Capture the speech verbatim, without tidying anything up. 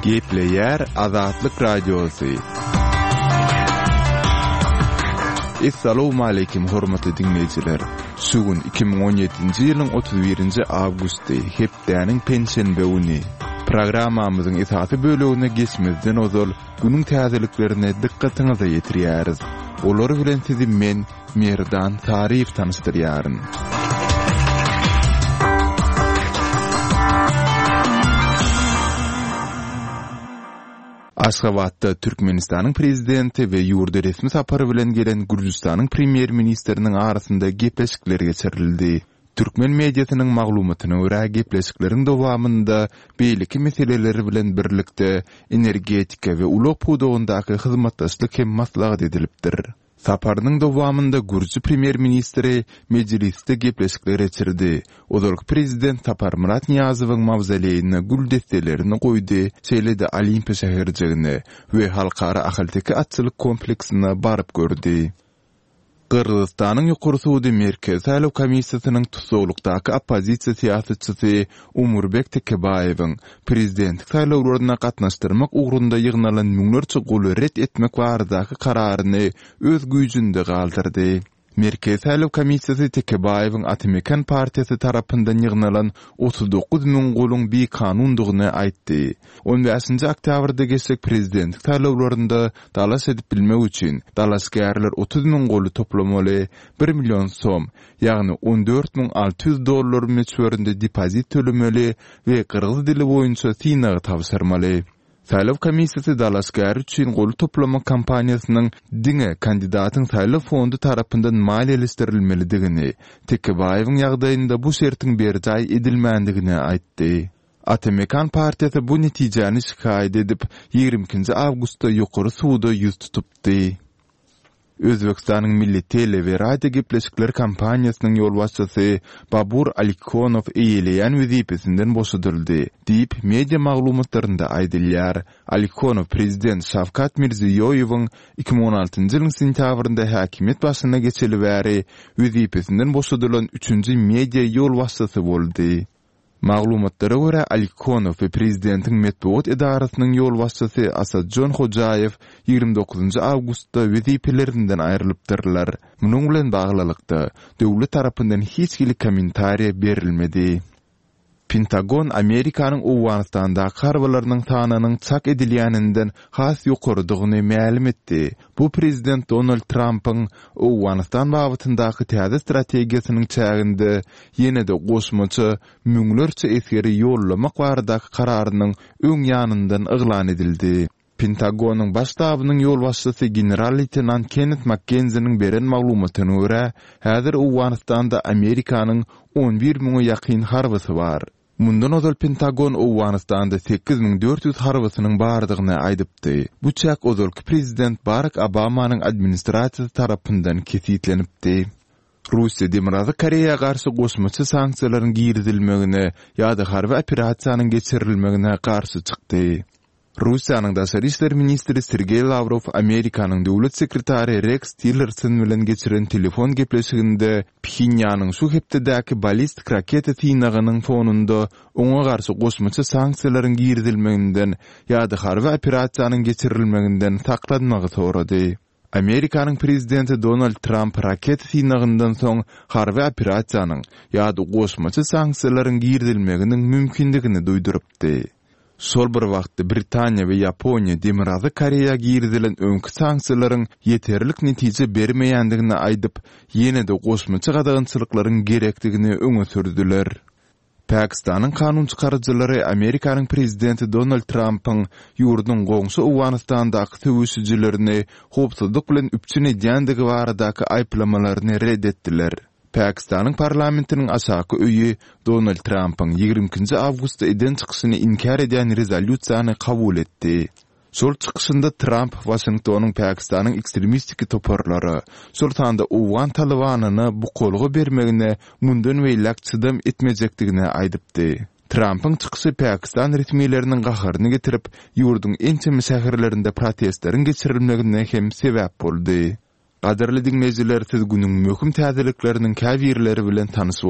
Gepleýär Azatlyk Radiosy. Essalawmaleýkim hormatly diňleýjiler! Şu gün iki müň on ýedinji ýylyň otuz birinji awgusty, hepdäniň penşenbe güni. Programmamyzyň esasy bölegine geçmezden ozal, günüň täzeliklerini dykgatyňyza ýetirýäris. Olar bilen sizi men, Merdan Saryýew tanyşdyrýaryn. Aşgabatda Türkmenistanyň Prezidenti we ýurda resmi sapar bilen gelen Gürjüstanyň Premýer-ministriniň arasynda gepleşikler geçirildi. Türkmen mediasynyň maglumatyna görä, gepleşikleriň dowamynda beýleki meseleler bilen birlikde, energetika we ulag pudagyndaky hyzmatdaşlyk hem maslahat edilipdir. Saparynyň dowamynda gürji premýer-ministri Mejlisde gepleşikler geçirdi, ozalky prezident Saparmyrat Nyýazowyň mawzoleýine gül desselerini goýdy, şeýle-de Olimpiýa şäherjigine we Halkara ahalteke atçylyk kompleksine baryp gördi. Gyrgyzystanyň Ýokary sudy Merkezi saýlaw komissiýasynyň tussaglykdaky oppozisiýa syýasatçysy Umurbek Tekebaýewiň prezidentlik saýlawlaryna gatnaşdyrmak ugrunda ýygnalan müňlerçe goly ret etmek baradaky kararyny öz güýjünde galdyrdy. Merkezi saýlaw komissiýasy Tekebaýewiň Ata-Mekan partiýasy tarapyndan ýygnalan otuz dokuz müň goluň bikanundygyny aýtdy. On bäşinji oktýabrda geçjek prezidentlik saýlawlarynda dalaş edip bilmek üçin, dalaşgärler otuz müň goly toplamaly, bir million som, ýagny on dört müň alty ýüz dollar möçberinde depozit tölemeli we gyrgyz dili boýunça synagy tabşyrmaly. Saýlaw komissiýasy dalaşgär üçin gol toplamak kampaniýasynyň diňe kandidatyň saýlaw fondy tarapyndan maliýeleşdirilmelidigini, Tekebaýewiň ýagdaýynda bu şertiň berjaý edilmändigini aýtdy. Ata-Mekan partiýasy bu netijäni şikaýat edip, ýigrimi ikinji awgustda Ýokary suda ýüz tutupdy. Özbegistanyň Milli tele we radio gepleşikler kompaniýasynyň ýolbaşçysy Babur Alikhonow eýeleýän wezipesinden boşadyldy, diýip, media maglumatlarynda aýdylýar. Alikhonow prezident Şawkat Mirziýoýewiň iki müň on altynjy ýylyň sentýabrynda häkimiýet başyna geçeli bäri wezipesinden boşadylan üçünji media ýolbaşçysy boldy. Maglumatlara görä, Alikhonow we prezidentiň metbugat edarasynyň ýolbaşçysy Asadjon Hojaýew ýigrimi dokuzynjy awgustda wezipelerinden aýrylypdyrlar. Munuň bilen baglylykda, döwlet tarapyndan hiç hili kommentariýa berilmedi. Pentagon Amerikanyň Owganystandaky harbylarynyň sanynyň çak edilýäninden has ýokarydygyny mälim etdi. Bu prezident Donald Trampyň Owganystan babatyndaky täze strategiýasynyň çäginde ýene-de goşmaça müňlerçe esgeri ýollamak baradaky kararynyň öň ýanyndan yglan edildi. Pentagonyň Baş ştabynyň ýolbaşçysy general-leýtenant Kennet Makkenziniň beren maglumatyna görä, häzir Owganystanda Amerikanyň on bir müňe ýakyn harbysy bar. Mundan ozal Pentagon Owganystanda sekiz müň dört ýüz harbysynyň bardygyny aýdypdy. Bu çäk ozalky prezident Barak Obamanyň administrasiýasy tarapyndan kesgitlenipdi. Russiýa Demirgazyk Koreýa garşy goşmaça sanksiýalaryň girizilmegine ýa-da harby operasiýanyň geçirilmegine garşy çykdy. Russiýanyň daşary işler ministri Sergeý Lawrow Amerikanyň döwlet sekretary Reks Tillerson bilen geçiren telefon gepleşiginde Phenýanyň şu hepdedäki ballistik raketa synagynyň fonunda oňa garşy goşmaça sanksiýalaryň girizilmeginden ýa-da harby operasiýanyň geçirilmeginden saklanmagy sorady. Amerikanyň prezidenti Donald Tramp raketa synagyndan soň harby operasiýanyň ýa-da goşmaça sanksiýalaryň girizilmeginiň mümkindigini duýdurypdy. Şol bir wagtda Britaniýa we Ýaponiýa Demirgazyk Koreýa girizilen öňki sanksiýalaryň ýeterlik netije bermeýändigini aýdyp, ýene-de goşmaça gadagançylyklaryň gerekdigini öňe sürdüler. Pakistanyň kanun çykaryjylary Amerikanyň prezidenti Donald Trampyň ýurduň goňşy Owganystandaky söweşijilerini howpsuzlyk bilen üpjün edýändigi baradaky aýyplamalaryny ret etdiler. Pakistanyň parlamentiniň aşaky öýi Donald Trampyň ýigrimi ikinji awgustda eden çykyşyny inkär edýän rezolýusiýany kabul etdi. Şol çykyşynda Tramp Waşingtonyň Pakistanyň ekstremistik toparlara, şol sanda owgan Talybanyna bukalga bermegine mundan beýläk çydam etmejekdigini aýdypdy. Trampyň çykyşy pakistan resmileriniň gaharyny getirip, ýurduň ençeme şäherlerinde protestleriň geçirilmegine hem sebäp boldy. Gadyrly diňleýjiler, siz günüň möhüm täzelikleriniň käbirleri bilen tanyş